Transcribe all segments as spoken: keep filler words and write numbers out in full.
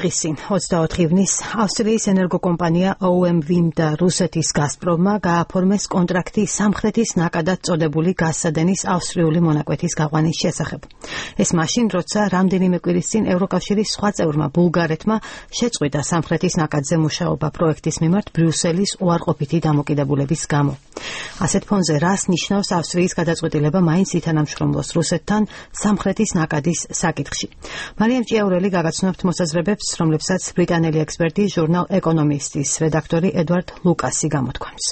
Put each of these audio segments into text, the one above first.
დღის წინ ოცდაოთხ ივნის ავსტრიის ენერგოკომპანია O M V და რუსეთის გაზპრომმა გააფორმეს კონტრაქტი სამხრეთის ნაკადად წოდებული გაზსადენის ავსტრიული მონაკვეთის გაყვანის შესახებ. ეს მაშინ, როცა რამდენიმე კვირის წინ ევროკავშირის სხვა წევრმა ბულგარეთმა შეწყვიტა სამხრეთის ნაკადზე მუშაობა პროექტის მიმართ ბრიუსელის უარყოფითი დამოკიდებულების გამო. ასეთ ფონზე რას ნიშნავს ავსტრიის გადაწყვეტილება მაინც ითანამშრომლოს რუსეთთან სამხრეთის ნაკადის საკითხში. მარიამ ჭიაურელი გაგაცნობთ მოსაზრებებს, რომლებსაც ბრიტანელი ექსპერტი ჟურნალ ეკონომისტის რედაქტორი ედვარდ ლუკასი გამოთქვამს.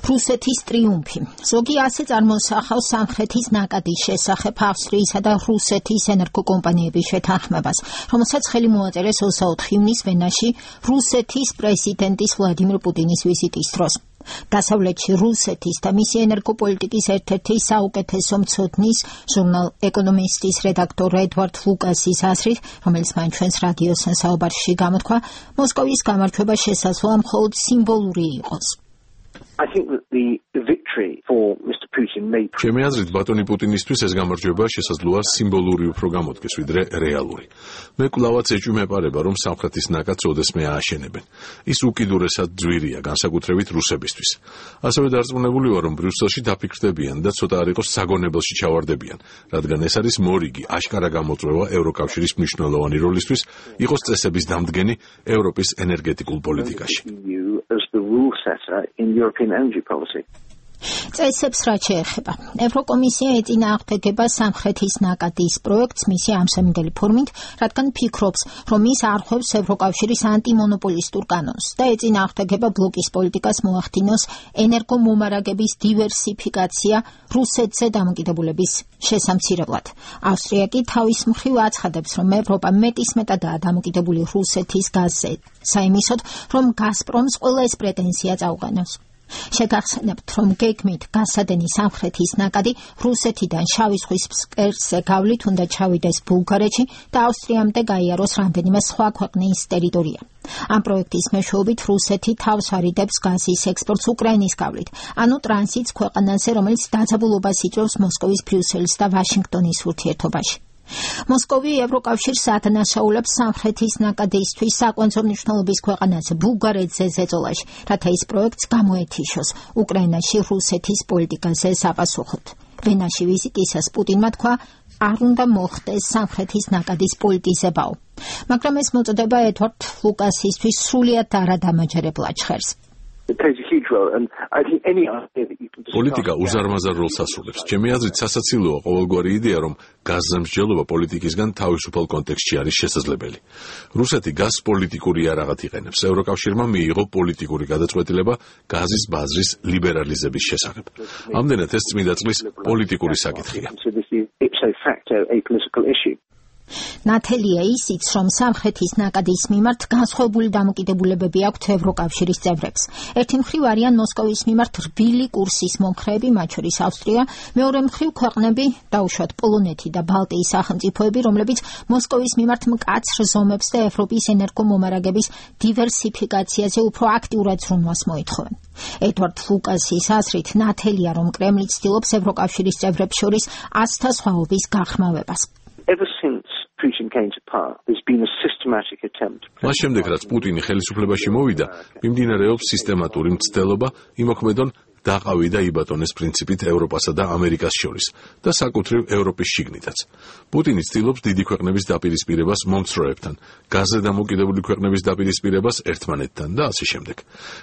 რუსეთის ტრიუმფი. ზოგი ასე წარმოსახავს სამხრეთის ნაკადის შესახებ ავსტრიისა და რუსეთის ენერგოკომპანიების შეთანხმებას, რომელსაც ხელი მოაწერეს ოცდაოთხ ივნის ვენაში რუსეთის პრეზიდენტის ვლადიმირ პუტინის ვიზიტის დროს. დასავლეთში რუსეთის და მისი ენერგოპოლიტიკის ერთ-ერთი საუკეთესო მცოდნის ჟურნალ ეკონომისტის რედაქტორ ედვარდ ლუკასის აზრით, რომელიც მან ჩვენს რადიოს საუბარში გამოთქვა, მოსკოვის გამარჯვება შესაძლოა მხოლოდ სიმბოლური იყოს. I think that the victory for Mister Putin may ჩემი აზრით ბატონი პუტინისთვის ეს გამარჯვება შესაძლოა სიმბოლური უფრო გამოდგეს ვიდრე რეალური. მე კვლავაც ეჭვმეპარება რომ სამხრეთის ნაკადს ოდესმე ააშენებენ. ის უკიდურესად ძვირია განსაკუთრებით რუსებისთვის. ასევე დარწმუნებული ვარ რომ ბრიუსელში დაფიქრდებიან და ცოტა არ იყოს საგონებელში ჩავარდებიან, რადგან ეს არის მორიგი აშკარა გამოწვევა ევროკავშირის მნიშვნელოვანი როლისთვის იყოს წესების დამდგენი ევროპის ენერგეტიკულ პოლიტიკაში. as the rule setter in European energy policy. წესებს რაც შეეხება, ევროკომისია ეწინააღმდეგება სამხრეთის ნაკადის პროექტს მისი ამსამინდელი ფორმით, რადგან ფიქრობს, რომ ის არღვევს ევროკავშირის ანტიმონოპოლისტურ კანონს და ეწინააღმდეგება ბლოკის პოლიტიკას მოახდინოს ენერგომომარაგების დივერსიფიკაცია რუსეთზე დამოკიდებულების შესამცირებლად. ავსტრია კი თავის მხრივ აცხადებს, რომ ევროპა მეტისმეტადაა დამოკიდებული რუსეთის გაზზე, საიმისოდ, რომ გაზპრომს ყველა ეს პრეტენზია წაუყენოს. შეგახსენებთ, რომ გეგმით გაზსადენის სამხრეთის ნაკადი რუსეთიდან შავი ზღვის ფსკერზე გავლით უნდა ჩავიდეს ბულგარეთში და ავსტრიამდე გაიაროს რამდენიმე სხვა ქვეყნის ტერიტორია. ამ პროექტის მეშვეობით რუსეთი თავს არიდებს გაზის ექსპორტს უკრაინის გავლით, ანუ ტრანზიტს ქვეყანაზე, რომელიც დაძაბულობას იწვევს მოსკოვის, ბრიუსელის და ვაშინგტონის ურთიერთობაში. მოსკოვი ევროკავშირს ადანაშაულებს სამხრეთის ნაკადისთვის საკვანძო მნიშვნელობის ქვეყანაზე ბულგარეთზე ზეწოლაში, რათა ის პროექტს გამოეთიშოს უკრაინაში რუსეთის პოლიტიკაზე საპასუხოდ. ვენაში ვიზიტისას პუტინმა თქვა, არ უნდა მოხდეს სამხრეთის ნაკადის პოლიტიზებაო. მაგრამ ეს მოწოდება ედვარდ ლუკასისთვის სრულიად არადამაჯერებლად ჟღერს. პოლიტიკა უზარმაზარ როლს ასრულებს. ჩემი აზრით სასაცილოა ყოველგვარი იდეა, რომ გაზზე მსჯელობა პოლიტიკისგან თავისუფალ კონტექსტში არის შესაძლებელი. რუსეთი გაზს პოლიტიკური იარაღად იყენებს. ევროკავშირმა მიიღო პოლიტიკური გადაწყვეტილება გაზის ბაზრის ლიბერალიზების შესახებ. ამდენად ეს წმინდა წყლის პოლიტიკური საკითხია. ნათელია ისიც, რომ სამხრეთის ნაკადის მიმართ განსხვავებული დამოკიდებულებები აქვთ ევროკავშირის წევრებს. ერთი მხრივ არიან მოსკოვის მიმართ რბილი კურსის მომხრეები, მათ შორის ავსტრია, მეორე მხრივ ქვეყნები, დაუშვათ პოლონეთი და ბალტიის სახელმწიფოები, რომლებიც მოსკოვის მიმართ მკაცრ ზომებს და ევროპის ენერგომომარაგების დივერსიფიკაციაზე უფრო აქტიურად ზრუნვას მოითხოვენ. ედვარდ ლუკასის აზრით, ნათელია, რომ კრემლი ცდილობს ევროკავშირის წევრებს შორის აცთა სხვაობის გაღრმავებას. Ever since Putin came to power, there's been a systematic attempt. მას შემდეგ, რაც პუტინი ხელისუფლებაში მოვიდა, მიმდინარეობს სისტემატური მცდელობა იმოქმედონ დაყავი და იბატონეს პრინციპით ევროპასა და ამერიკას შორის და საკუთრივ ევროპის შიგნითაც. პუტინი ცდილობს დიდი ქვეყნების დაპირისპირებას მომცროებთან, გაზზე დამოკიდებული ქვეყნების დაპირისპირებას ერთმანეთთან და ასე შემდეგ.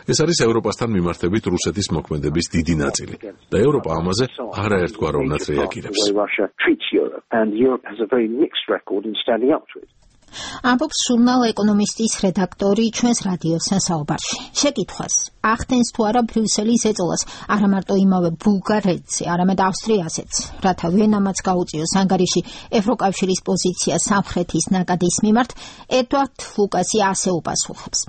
ეს არის ევროპასთან მიმართებით რუსეთის მოქმედების დიდი ნაწილი და ევროპა ამაზე არაერთგვაროვნად რეაგირებს. ამბობს ჟურნალ ეკონომისტის რედაქტორი ჩვენს რადიოს საუბარში. შეკითხვას, ახდენს თუ არა ბრიუსელი ზეწოლას არა მარტო იმავე ბულგარეთზე, არამედ ავსტრიაზეც, რათა ვენამაც გაუწიოს ანგარიში ევროკავშირის პოზიცია სამხრეთის ნაკადის მიმართ, ედვარდ ლუკასი ასე უპასუხებს.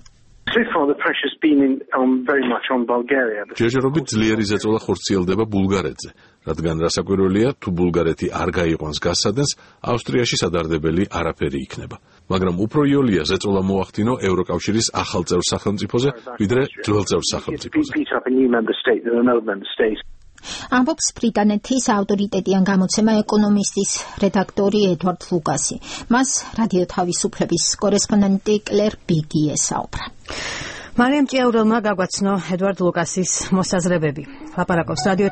ჯერჯერობით ძლიერი ზეწოლა ხორციელდება ბულგარეთზე, რადგან რასაკვირველია, თუ ბულგარეთი არ გაიყვანს გაზსადენს, ავსტრიაში სადარდებელი არაფერი იქნება. მაგრამ უფრო იოლია ზეწოლა მოახდინო ევროკავშირის ახალ წევრ სახელმწიფოზე, ვიდრე ძველ წევრ სახელმწიფოზე. ამბობს ბრიტანეთის ავტორიტეტიან გამოცემა ეკონომისტის რედაქტორი ედვარდ ლუკასი. მას რადიო თავისუფლების კორესპონდენტი კლერ ბიგი ესაუბრა. მარიამ ჭიაურელმა გაგვაცნო ედვარდ ლუკასის მოსაზრებები. ლაპარაკობს რადიო